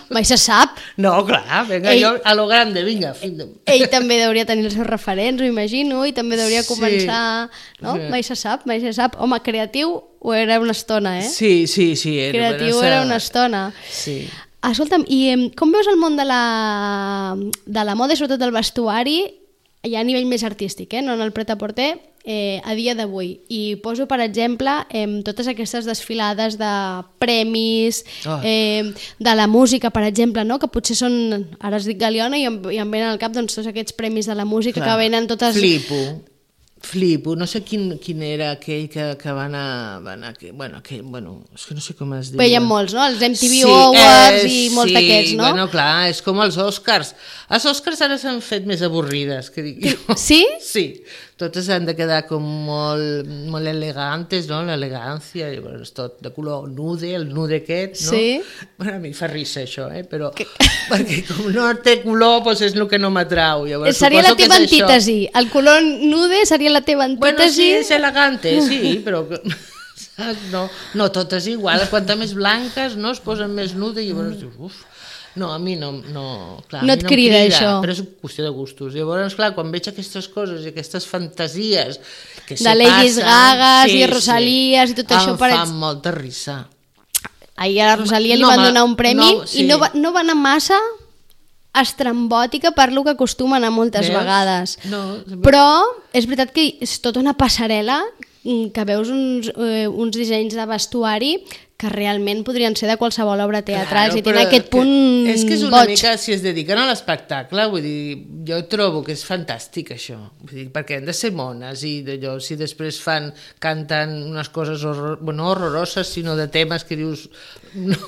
Speaker 2: Mai se sap.
Speaker 3: No, clar, vinga,
Speaker 2: Ell-
Speaker 3: jo a lo grande, vinga.
Speaker 2: Ell també hauria tenir els seus referents, ho imagino, i també hauria
Speaker 3: Sí.
Speaker 2: començar... No?
Speaker 3: Sí.
Speaker 2: Mai se sap, mai se sap. Home, creatiu ho era una estona, eh?
Speaker 3: Sí, sí, sí. Era,
Speaker 2: Creatiu
Speaker 3: bueno,
Speaker 2: era una estona.
Speaker 3: Sí.
Speaker 2: Escolta'm, i em, com veus el món de la, de la moda i sobretot del vestuari ja a nivell més artístic, eh? No en el pret-a-porter, eh, a dia d'avui? I poso, per exemple, eh, totes aquestes desfilades de premis,
Speaker 3: Oh.
Speaker 2: eh, de la música, per exemple, no? Que potser són, ara es dic Galiona i em, i em venen al cap doncs, tots aquests premis de la música
Speaker 3: Clar.
Speaker 2: que venen totes...
Speaker 3: Flipo. Flipo, no sé quin, quin era aquell que, que va anar, va anar que, bueno, aquell, bueno, és que no sé com es diu.
Speaker 2: Veiem molts, no? Els M T V Awards
Speaker 3: eh,
Speaker 2: i molts
Speaker 3: sí,
Speaker 2: d'aquests, no?
Speaker 3: Bueno, clar, és com els Oscars. Els Oscars ara s'han fet més avorrides, que dic jo.
Speaker 2: Sí?
Speaker 3: Sí, totes han de quedar com molt, molt elegantes, no? L'elegància, i bueno, és tot de color nude, el nude aquest, no?
Speaker 2: Sí.
Speaker 3: Bueno, a mi fa risa això, eh? Però que... perquè com no té color, doncs és el que no m'atrau. Llavors,
Speaker 2: Seria la
Speaker 3: suposo que
Speaker 2: teva
Speaker 3: és això.
Speaker 2: antítesi. El color nude seria la teva antítesi.
Speaker 3: Bueno, sí, és elegante, sí, però... Saps? No, no totes iguals, quanta més blanques no es posen més nude i llavors dius, uf, no, a mi no, no, clar,
Speaker 2: No
Speaker 3: a mi
Speaker 2: et
Speaker 3: no em
Speaker 2: crida, això.
Speaker 3: però és qüestió de gustos. Llavors, clar, quan veig aquestes coses i aquestes fantasies que
Speaker 2: De
Speaker 3: se
Speaker 2: Ladies
Speaker 3: passen,
Speaker 2: Gagas i Rosalies i tot això
Speaker 3: em
Speaker 2: per
Speaker 3: fan
Speaker 2: ex-
Speaker 3: molta risa.
Speaker 2: Ahir a la Rosalia li
Speaker 3: No,
Speaker 2: van
Speaker 3: ma-
Speaker 2: donar un premi
Speaker 3: no, sí.
Speaker 2: i no va, no va anar massa estrambòtica per lo que acostuma a anar moltes
Speaker 3: Veus?
Speaker 2: vegades.
Speaker 3: No,
Speaker 2: Però és veritat que és tota una passarel·la mm, que veus uns, eh, uns dissenys de vestuari que realment podrien ser de qualsevol obra teatral, si tenen
Speaker 3: però
Speaker 2: aquest punt
Speaker 3: que, és que és una
Speaker 2: boig.
Speaker 3: mica, si es dediquen a l'espectacle, vull dir, jo trobo que és fantàstic això, vull dir, perquè han de ser mones i d'allò, si després fan, canten unes coses horror, bueno, no horroroses, sinó de temes que dius, no,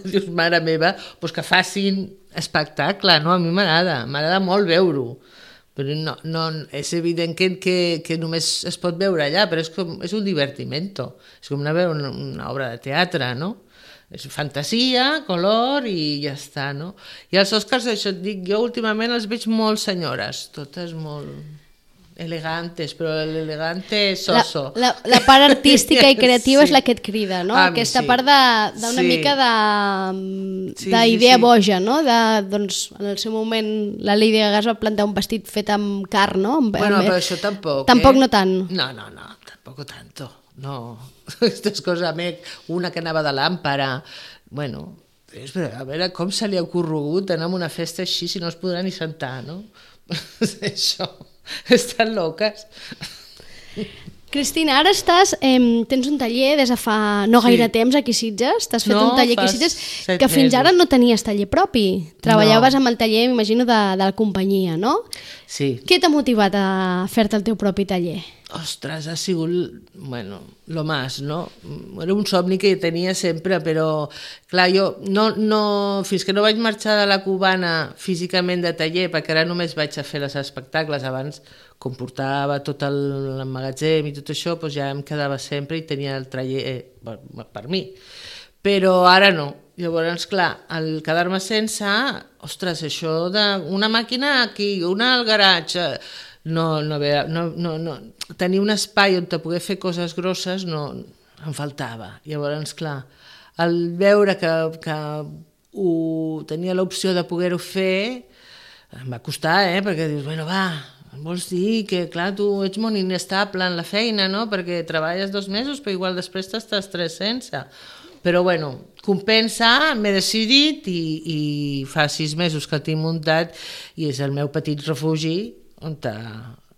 Speaker 3: dius, mare meva, doncs que facin espectacle, no? A mi m'agrada, m'agrada molt veure-ho, però no, no, és evident que, que, que només es pot veure allà, però és, com, és un divertimento, és com anar a veure una, una obra de teatre, no? És fantasia, color i ja està, no? I els Oscars, això et dic, jo últimament els veig molt senyores, totes molt elegantes, però l'elegante soso.
Speaker 2: La, la, la part artística i creativa
Speaker 3: Sí.
Speaker 2: és la que et crida, no?
Speaker 3: A mi
Speaker 2: Aquesta
Speaker 3: sí.
Speaker 2: part de- d'una
Speaker 3: Sí.
Speaker 2: mica de
Speaker 3: Sí,
Speaker 2: d'idea
Speaker 3: sí, sí.
Speaker 2: boja, no? De, doncs, en el seu moment la Lady Gaga es va plantar un vestit fet amb carn, no? Amb,
Speaker 3: Bueno,
Speaker 2: amb-
Speaker 3: però això tampoc,
Speaker 2: Tampoc
Speaker 3: eh?
Speaker 2: no tant.
Speaker 3: No, no, no, tampoco tanto, no. Aquestes coses, a més, una que anava de làmpara, bueno, és, a veure com se li ha ocorregut anar a una festa així si no es podrà ni sentar, no? Això, estan loques.
Speaker 2: Cristina, ara estàs, eh, tens un taller des de fa no
Speaker 3: Sí.
Speaker 2: gaire temps aquí a Sitges, t'has fet
Speaker 3: No,
Speaker 2: un taller aquí a
Speaker 3: fa
Speaker 2: Sitges
Speaker 3: set
Speaker 2: que fins
Speaker 3: mesos.
Speaker 2: ara no tenies taller propi, treballaves
Speaker 3: No.
Speaker 2: amb el taller, m'imagino, de, de la companyia, no?
Speaker 3: Sí.
Speaker 2: Què t'ha motivat a fer-te el teu propi taller?
Speaker 3: Ostres, ha sigut, bueno, lo más, no? Era un somni que tenia sempre, però, clar, jo no, no, fins que no vaig marxar de la Cubana físicament de taller, perquè ara només vaig a fer els espectacles, abans, com portava tot el, el magatzem i tot això, doncs ja em quedava sempre i tenia el taller eh, per, per mi. Però ara no. Llavors, clar, al quedar-me sense, ostres, això d'una màquina aquí, una al garatge, no, no, no, no, no, tenir un espai on te poder fer coses grosses no, em faltava. Llavors, clar, al veure que, que ho, tenia l'opció de poder-ho fer, em va costar, eh? Perquè dius, bueno, va, vols dir que, clar, tu ets molt inestable en la feina, no? Perquè treballes dos mesos, però igual després t'estàs tres sense. Però, bueno, compensa, m'he decidit i, i fa sis mesos que el tinc muntat i és el meu petit refugi on te,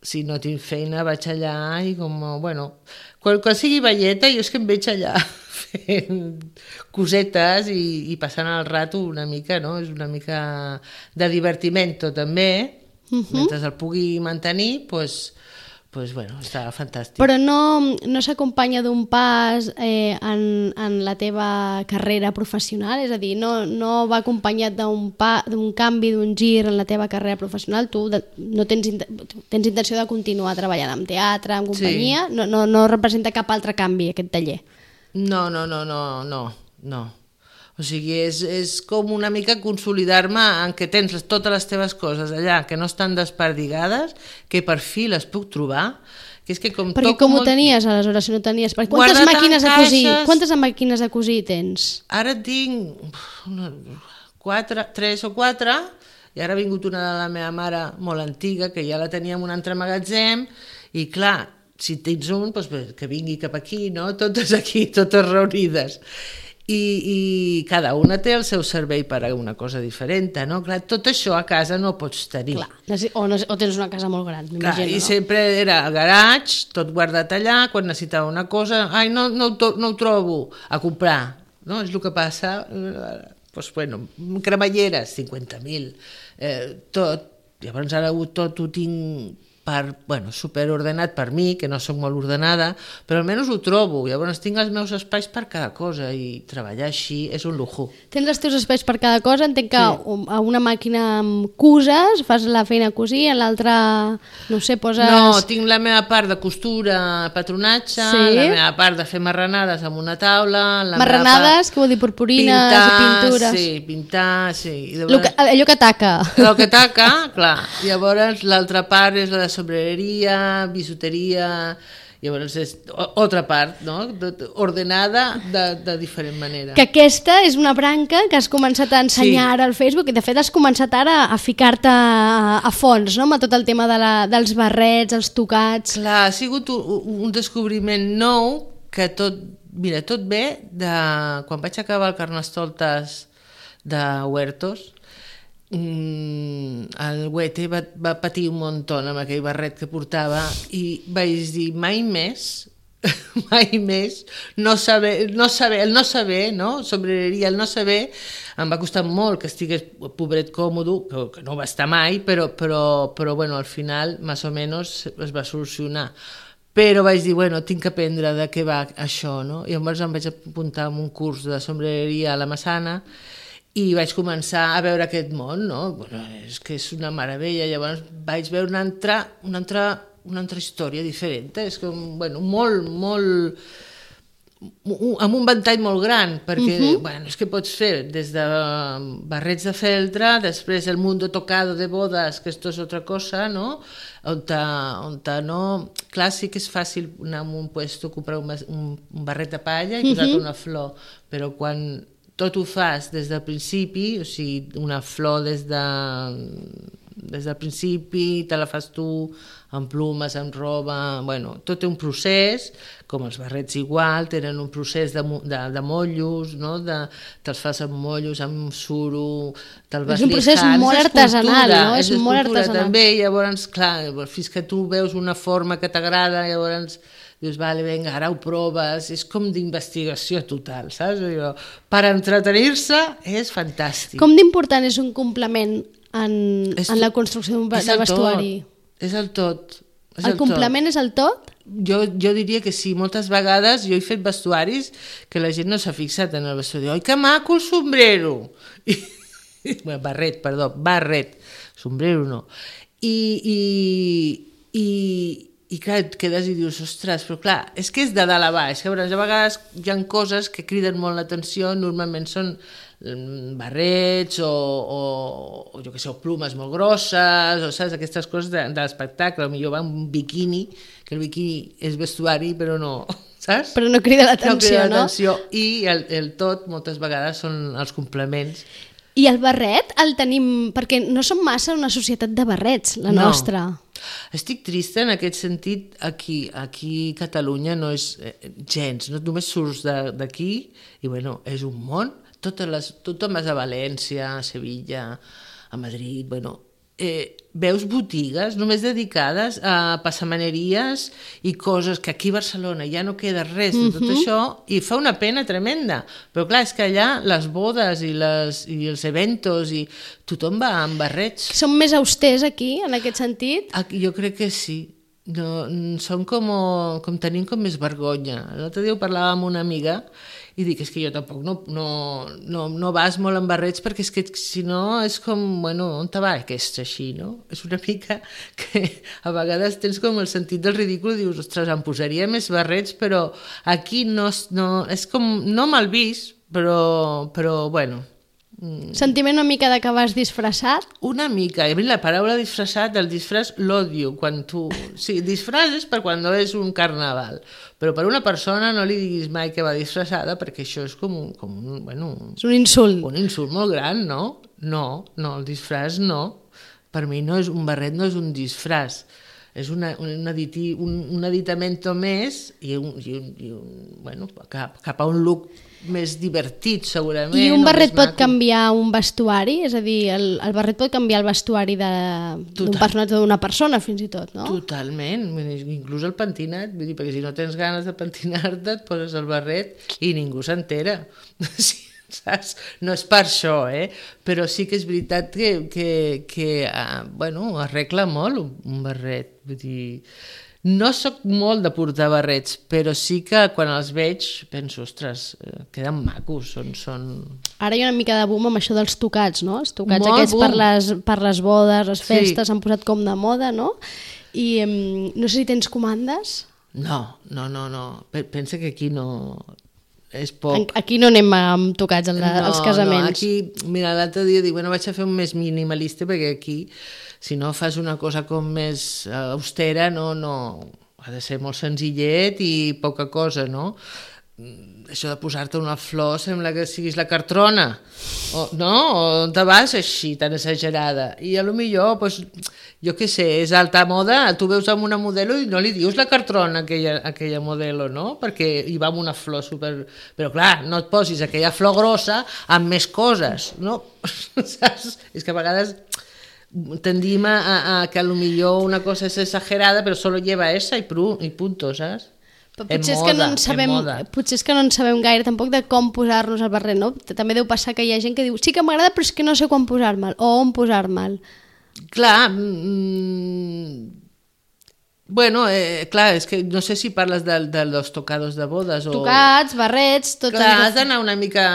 Speaker 3: si no tinc feina vaig allà i com, bueno, quan, quan sigui velleta jo és que em veig allà fent cosetes i, i passant el rato una mica, no? És una mica de divertimento també, uh -huh. mentre el pugui mantenir, doncs, pues, pues, bueno, està fantàstic.
Speaker 2: Però no, no s'acompanya d'un pas eh, en, en la teva carrera professional? És a dir, no, no va acompanyat d'un pa, d'un canvi, d'un gir en la teva carrera professional? Tu de, no tens, tens intenció de continuar treballant en teatre, en companyia? Sí. No, no, no representa cap altre canvi, aquest taller?
Speaker 3: No, no, no, no, no, no. O sigui, és, és com una mica consolidar-me en què tens totes les teves coses allà, que no estan desperdigades, que per fi les puc trobar, Que és que com
Speaker 2: Perquè
Speaker 3: toco
Speaker 2: com ho
Speaker 3: molt...
Speaker 2: tenies, aleshores, si no tenies... Perquè quantes
Speaker 3: Guardat en
Speaker 2: màquines de cosir?
Speaker 3: caixes.
Speaker 2: Quantes màquines de cosir tens?
Speaker 3: Ara tinc una, quatre, tres o quatre, i ara ha vingut una de la meva mare molt antiga, que ja la tenia en un altre magatzem, i clar, si tens un, doncs, que vingui cap aquí, no? Totes aquí, totes reunides. I, i cada una té el seu servei per a una cosa diferent, no? Clar, tot això a casa no pots tenir.
Speaker 2: Clar, o, no, o tens una casa molt gran,
Speaker 3: Clar,
Speaker 2: m'imagino,
Speaker 3: i
Speaker 2: no?
Speaker 3: sempre era al garatge, tot guardat allà, quan necessitava una cosa, ai, no, no, ho, no ho trobo, a comprar, no? És el que passa, doncs, bueno, cremalleres, cinquanta mil, eh, tot, llavors ara tot ho tinc per, bueno, superordenat per mi, que no soc molt ordenada, però almenys ho trobo, llavors tinc els meus espais per cada cosa i treballar així és un lujo.
Speaker 2: Tens els teus espais per cada cosa, entenc que
Speaker 3: Sí.
Speaker 2: a una màquina amb cuses, fas la feina a cosir, en l'altra, no sé, poses...
Speaker 3: No, tinc la meva part de costura, patronatge,
Speaker 2: Sí?
Speaker 3: la meva part de fer marranades amb una taula... La
Speaker 2: Marranades, què vol dir, purpurines i pintures?
Speaker 3: Sí, pintar, sí. I
Speaker 2: Lo que, allò que taca.
Speaker 3: El que taca, clar. Llavors l'altra part és la de sombrereria, bisuteria, llavors és altra part, no? Ordenada de, de diferent manera.
Speaker 2: Que aquesta és una branca que has començat a ensenyar
Speaker 3: Sí.
Speaker 2: ara al Facebook i de fet has començat ara a ficar-te a, a fons, no?, amb tot el tema de la, dels barrets, els tocats...
Speaker 3: Clar, ha sigut un, un descobriment nou que tot, mira, tot ve de quan vaig acabar el Carnestoltes de Huertos. Mm, el Huete va, va patir un muntó amb aquell barret que portava i vaig dir mai més mai més no saber, no saber, el no saber, no? Sombrereria, el no saber em va costar molt que estigués pobret còmodo, que, que no va estar mai, però, però, però bueno, al final més o menys es va solucionar. Però vaig dir, bueno, tinc que aprendre de què va això, no? I llavors em vaig apuntar en un curs de sombrereria a la Massana i vaig començar a veure aquest món, no? Bueno, és que és una meravella. Llavors vaig veure una altra, una altra, una altra història diferent. És com, bueno, molt, molt... amb un ventall molt gran, perquè, uh-huh. bueno, és que pots fer des de barrets de feltre, després el mundo tocado de bodas, que esto és altra cosa, no? On, ta, on ta, no... Clar, sí que és fàcil anar a un puesto, comprar un, un, un barret de palla i uh-huh. posar-te una flor, però quan tot ho fas des del principi, o sigui, una flor des de... des del principi, te la fas tu, amb plumes, amb roba... Bueno, tot té un procés, com els barrets igual, tenen un procés de, de, de mollos, no? De, te'ls fas amb mollos, amb suro, te'l vas
Speaker 2: És un procés
Speaker 3: lijant.
Speaker 2: molt
Speaker 3: És
Speaker 2: artesanal, no?
Speaker 3: És,
Speaker 2: És molt
Speaker 3: escultura
Speaker 2: artesanal.
Speaker 3: també, llavors, clar, fins que tu veus una forma que t'agrada, llavors dius, vale, vinga, ara ho proves, és com d'investigació total, saps? Jo, per entretenir-se és fantàstic.
Speaker 2: Com d'important és un complement en,
Speaker 3: És
Speaker 2: en la construcció d'un
Speaker 3: és el
Speaker 2: vestuari?
Speaker 3: Tot, és el tot. És
Speaker 2: El,
Speaker 3: el
Speaker 2: complement
Speaker 3: tot.
Speaker 2: és el tot?
Speaker 3: Jo, jo diria que sí, moltes vegades jo he fet vestuaris que la gent no s'ha fixat en el vestuari. Oi, que maco el sombrero! I, bueno, barret, perdó, barret, sombrero no. I, i, i, i clar, et quedes i dius, ostres, però clar, és que és de dalt a baix, que a vegades hi ha coses que criden molt l'atenció, normalment són barrets o, o, o jo què sé, o plumes molt grosses, o saps, aquestes coses de, de l'espectacle, potser va amb un biquini, que el biquini és vestuari, però no, saps?
Speaker 2: Però no crida l'atenció,
Speaker 3: no?
Speaker 2: no?
Speaker 3: L'atenció. I el, el tot, moltes vegades, són els complements.
Speaker 2: I el barret el tenim... Perquè no som massa una societat de barrets, la
Speaker 3: No.
Speaker 2: nostra.
Speaker 3: Estic trista en aquest sentit, aquí, aquí a Catalunya no és eh, gens, no només surts de- d'aquí i bueno, és un món, totes les, tothom vas a València, a Sevilla, a Madrid, bueno, eh, veus botigues només dedicades a passamaneries i coses que aquí a Barcelona ja no queda res de tot això i fa una pena tremenda, però clar, és que allà les bodes i, les, i els eventos i tothom va amb barrets.
Speaker 2: Som més austers aquí, en aquest sentit?
Speaker 3: Aquí, jo crec que sí. No, som com, com tenim com més vergonya. L'altre dia ho parlava amb una amiga i dic, és que jo tampoc no, no, no, no vas molt amb barrets perquè és que si no és com, bueno, on te va aquest així, no? És una mica que a vegades tens com el sentit del ridícul i dius, ostres, em posaria més barrets, però aquí no, no és com, no mal vist, però, però bueno, Mm.
Speaker 2: Sentiment una mica de que vas disfressat?
Speaker 3: Una mica. I a mi la paraula disfressat, el disfress l'odio. Quan tu... Sí, disfress és per quan no és un carnaval. Però per una persona no li diguis mai que va disfressada perquè això és com un... Com un bueno,
Speaker 2: És un insult.
Speaker 3: un insult molt gran, no? No, no, el disfress no. Per mi no és un barret, no és un disfress. És una, un, aditi, un, un aditamento més i, un, i, un, i un, bueno, cap, cap a un look més divertit, segurament.
Speaker 2: I un barret pot
Speaker 3: maco.
Speaker 2: canviar un vestuari? És a dir, el, el barret pot canviar el vestuari d'un personatge o d'una persona, fins i tot, no?
Speaker 3: Totalment, inclús el pentinat, vull dir, perquè si no tens ganes de pentinar-te et poses el barret i ningú s'entera. Sí. Saps? No és per això, eh? Però sí que és veritat que, que, que uh, bueno, arregla molt un, un barret. Vull dir, no sóc molt de portar barrets, però sí que quan els veig penso, ostres, eh, queden macos. Són, són...
Speaker 2: Ara hi ha una mica de boom amb això dels tocats, no? Els tocats
Speaker 3: molt
Speaker 2: aquests per les, per les bodes, les festes,
Speaker 3: sí.
Speaker 2: s'han posat com de moda, no? I um, no sé si tens comandes?
Speaker 3: No, no, no, no. Pensa que aquí no... és poc.
Speaker 2: Aquí no anem amb tocats als
Speaker 3: no,
Speaker 2: casaments.
Speaker 3: No, aquí, mira, l'altre dia dic, bueno, vaig a fer un més minimalista perquè aquí, si no fas una cosa com més austera, no, no, ha de ser molt senzillet i poca cosa, no? Això de posar-te una flor sembla que siguis la cartrona, o, no? O on te vas així, tan exagerada. I a lo millor, pues, jo què sé, és alta moda, tu veus amb una modelo i no li dius la cartrona a aquella, a aquella modelo, no? Perquè hi va amb una flor super... Però clar, no et posis aquella flor grossa amb més coses, no? Saps? És que a vegades tendim a, a, a que a lo millor una cosa és exagerada però solo lleva esa i, pru, i punto, saps?
Speaker 2: Però potser, és que no en sabem, potser és que no en sabem gaire tampoc de com posar-nos el barret, no? També deu passar que hi ha gent que diu sí que m'agrada però és que no sé quan posar-me'l o on posar-me'l.
Speaker 3: Clar, mm, bueno, eh, clar, és que no sé si parles de, de los tocados de bodes o...
Speaker 2: Tocats, barrets, tot...
Speaker 3: Clar, has d'anar una mica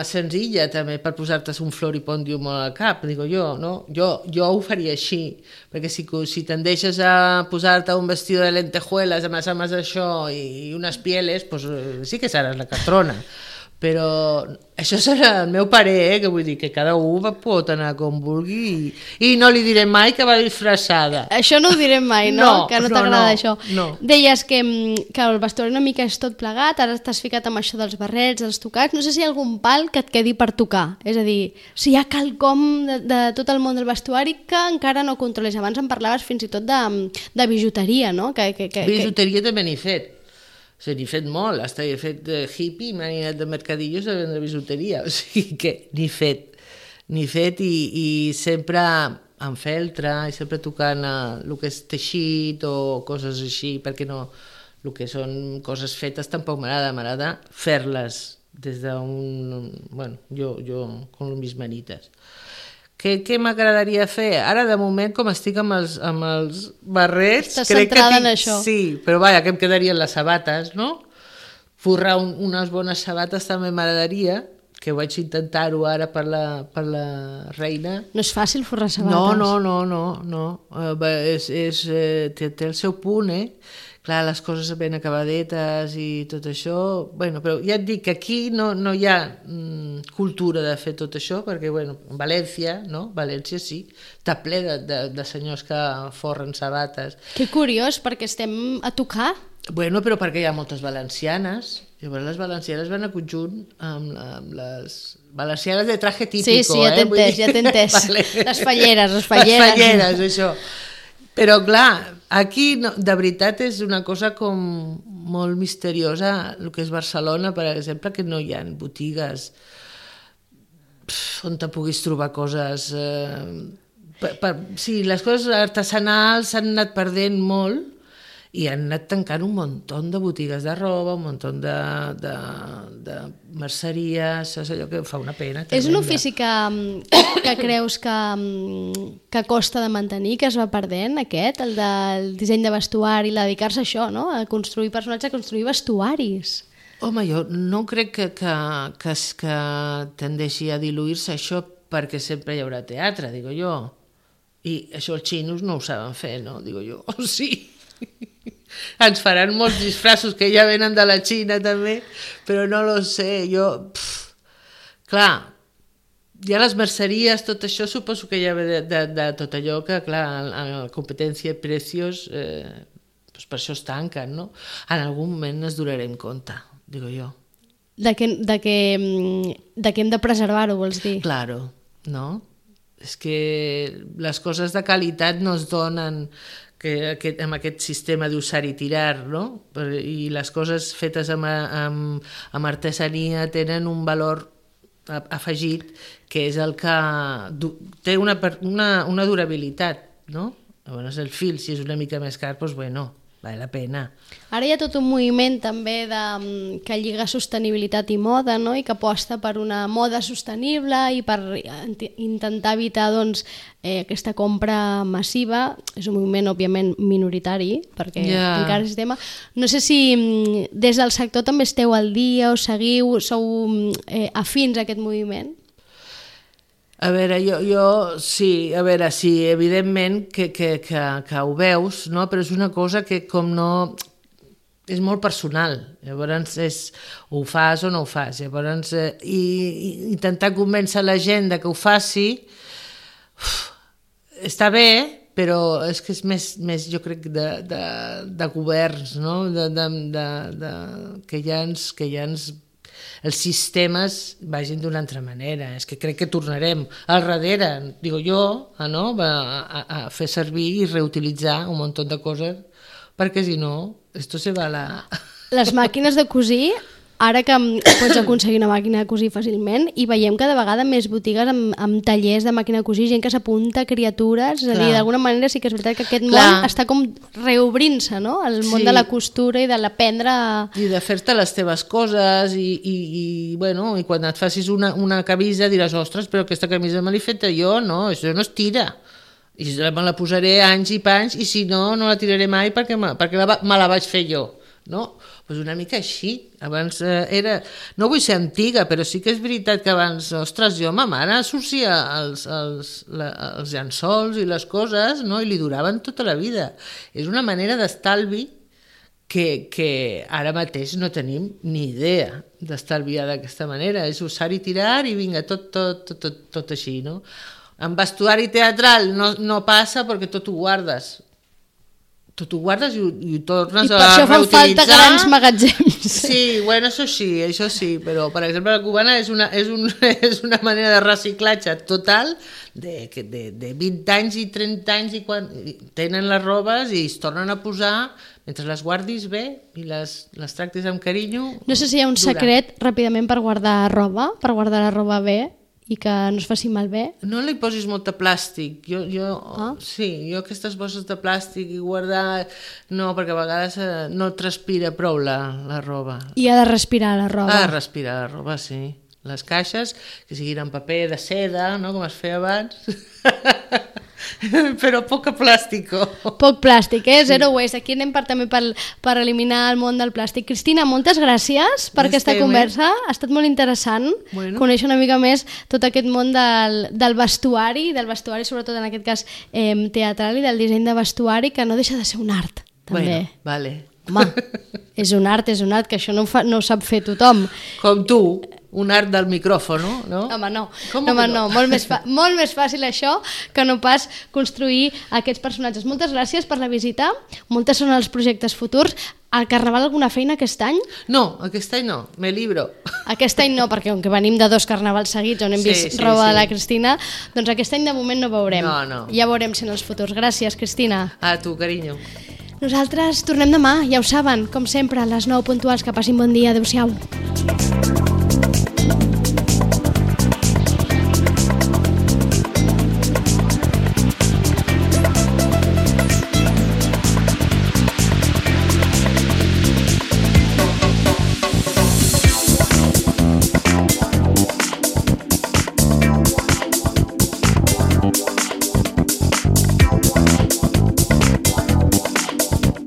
Speaker 3: senzilla també per posar-te un floripondium al cap, digo jo, no? Jo, jo ho faria així, perquè si, si tendeixes a posar-te un vestido de lentejuelas amb les ames d'això i unes pieles, pues, sí que seràs la catrona. Però això serà el meu parer, eh? Que vull dir que cada un pot anar com vulgui i, i no li diré mai que va disfressada.
Speaker 2: Això no ho direm mai, no?
Speaker 3: No,
Speaker 2: que no,
Speaker 3: no
Speaker 2: t'agrada
Speaker 3: no,
Speaker 2: això.
Speaker 3: No.
Speaker 2: Deies que, que el vestuari una mica és tot plegat, ara t'has ficat amb això dels barrets, dels tocats, no sé si hi ha algun pal que et quedi per tocar, és a dir, si hi ha quelcom de, de tot el món del vestuari que encara no controles. Abans em parlaves fins i tot de, de bijuteria, no? Que, que, que,
Speaker 3: bijuteria que... també n'he fet. O sigui, n'he fet molt, hasta he fet de hippie, m'he anat de mercadillos a vendre bisuteria, o sigui que n'he fet, n'he fet i, i sempre amb feltre, i sempre tocant el que és teixit o coses així, perquè no, el que són coses fetes tampoc m'agrada, m'agrada fer-les des d'un, bueno, jo, jo con mis manites. Què, què m'agradaria fer? Ara, de moment, com estic amb els, amb els barrets...
Speaker 2: Estàs
Speaker 3: crec
Speaker 2: centrada
Speaker 3: que tinc,
Speaker 2: en això.
Speaker 3: Sí, però vaja, que em quedarien les sabates, no? Forrar un, unes bones sabates també m'agradaria, que vaig intentar-ho ara per la, per la reina.
Speaker 2: No és fàcil forrar sabates.
Speaker 3: No, no, no, no, no. Uh, és, és, eh, té, té el seu punt, eh? Clar, les coses ben acabadetes i tot això... Bueno, però ja et dic que aquí no, no hi ha mm, cultura de fer tot això, perquè, bueno, València, no? València sí, està ple de, de, de senyors que forren sabates.
Speaker 2: Que curiós, perquè estem a tocar.
Speaker 3: Bueno, però perquè hi ha moltes valencianes. Llavors les valencianes van a conjunt amb, amb les valencianes de traje típico.
Speaker 2: Sí, sí, ja t'he entès,
Speaker 3: eh?
Speaker 2: ja t'he entès.
Speaker 3: Vale.
Speaker 2: Les falleres, les falleres.
Speaker 3: Les falleres, això. Però clar, aquí no, de veritat és una cosa com molt misteriosa, el que és Barcelona, per exemple, que no hi ha botigues pff, on te puguis trobar coses... Eh, per, per, sí, les coses artesanals s'han anat perdent molt i han anat tancant un muntó de botigues de roba, un muntó de, de, de merceries, és allò que fa una pena.
Speaker 2: És un ofici que, que creus que, que costa de mantenir, que es va perdent, aquest, el del disseny de vestuari, la dedicar-se a això, no? A construir personatges, a construir vestuaris.
Speaker 3: Home, jo no crec que, que, que, que tendeixi a diluir-se això perquè sempre hi haurà teatre, digo jo. I això els xinos no ho saben fer, no? Digo jo, oh, sí. Ens faran molts disfressos que ja venen de la Xina també, però no lo sé, jo... Pff, clar, ja les merceries, tot això, suposo que ja ve de, de, de tot allò que, clar, a la competència de precios, eh, doncs per això es tanquen, no? En algun moment es durarem compte, digo jo.
Speaker 2: De que, de que, de que hem de preservar-ho, vols dir?
Speaker 3: Claro, no? És que les coses de qualitat no es donen que aquest, amb aquest sistema d'usar i tirar, no? I les coses fetes amb, amb, amb artesania tenen un valor afegit que és el que du, té una, una, una durabilitat, no? Llavors el fil, si és una mica més car, doncs bueno, val la pena.
Speaker 2: Ara hi ha tot un moviment també de, que lliga sostenibilitat i moda, no? I que aposta per una moda sostenible i per intentar evitar doncs, eh, aquesta compra massiva. És un moviment, òbviament, minoritari, perquè yeah. encara és tema. No sé si des del sector també esteu al dia o seguiu, sou eh, afins a aquest moviment?
Speaker 3: A veure, jo, jo sí, a veure, sí, evidentment que, que, que, que ho veus, no? Però és una cosa que com no... és molt personal, llavors és, o ho fas o no ho fas, llavors eh, i, i intentar convèncer la gent de que ho faci uf, està bé, però és que és més, més jo crec, de, de, de governs, no? De, de, de, de, que ja ens... Que ja ens els sistemes vagin d'una altra manera. És que crec que tornarem al darrere, digo jo, a, no? a, a, a fer servir i reutilitzar un munt de coses, perquè si no, esto se va a la...
Speaker 2: Les màquines de cosir, ara que pots aconseguir una màquina de cosir fàcilment, i veiem cada vegada més botigues amb, amb tallers de màquina de cosir, gent que s'apunta a criatures, és a dir, d'alguna manera sí que és veritat que aquest Clar. món està com reobrint-se, no? El món sí. de la costura i de l'aprendre...
Speaker 3: I de fer-te les teves coses i, i, i, bueno, i quan et facis una, una camisa diràs, ostres, però aquesta camisa me l'he feta jo, no, això no es tira. I me la posaré anys i panys i si no, no la tiraré mai perquè me, perquè la, me la vaig fer jo, no? Pues una mica així. Abans eh, era... No vull ser antiga, però sí que és veritat que abans, ostres, jo, ma mare sorcia els, els, la, els llençols i les coses, no? I li duraven tota la vida. És una manera d'estalvi que, que ara mateix no tenim ni idea d'estalviar d'aquesta manera. És usar i tirar i vinga, tot, tot, tot, tot, tot així, no? En vestuari teatral no, no passa perquè tot ho guardes. Tot ho guardes i ho, i ho tornes a reutilitzar. I per això fan falta grans magatzems. Sí, bueno, això sí, això sí, però per exemple la cubana és una, és un, és una manera de reciclatge total de, de, de vint anys i trenta anys i quan tenen les robes i es tornen a posar mentre les guardis bé i les, les tractis amb carinyo.
Speaker 2: No sé si hi ha un durant. secret ràpidament per guardar roba, per guardar la roba bé, i que no es faci malbé.
Speaker 3: No li posis molt de plàstic. Jo, jo, ah? Sí, jo aquestes bosses de plàstic i guardar... No, perquè a vegades no transpira prou la, la roba.
Speaker 2: I ha de respirar la roba.
Speaker 3: Ha de respirar la roba, sí. Les caixes, que siguin en paper de seda, no? Com es feia abans. Però poc plàstic.
Speaker 2: Poc plàstic, eh? Zero waste. Aquí anem per, també per, per eliminar el món del plàstic. Cristina, moltes gràcies per aquesta conversa. Ha estat molt interessant bueno. conèixer una mica més tot aquest món del, del vestuari, del vestuari sobretot en aquest cas eh, teatral i del disseny de vestuari, que no deixa de ser un art, també.
Speaker 3: Bueno, vale.
Speaker 2: Home, és un art, és un art, que això no ho, fa, no ho sap fer tothom.
Speaker 3: Com tu. Un art del micròfon, no?
Speaker 2: Home, no. no, home, no. Molt, més fa... molt més fàcil això que no pas construir aquests personatges. Moltes gràcies per la visita. Moltes són els projectes futurs. Al Carnaval alguna feina aquest any?
Speaker 3: No, aquest any no. Me libro.
Speaker 2: Aquest any no, perquè com que venim de dos carnavals seguits on hem sí, vist sí, roba sí. de la Cristina, doncs aquest any de moment no veurem.
Speaker 3: No, no.
Speaker 2: Ja veurem si en els futurs. Gràcies, Cristina.
Speaker 3: A tu, carinyo.
Speaker 2: Nosaltres tornem demà, ja ho saben, com sempre, a les nou puntuals. Que passin bon dia. Adéu-siau.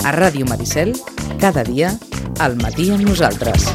Speaker 1: A Ràdio Maricel, cada dia, al matí amb nosaltres.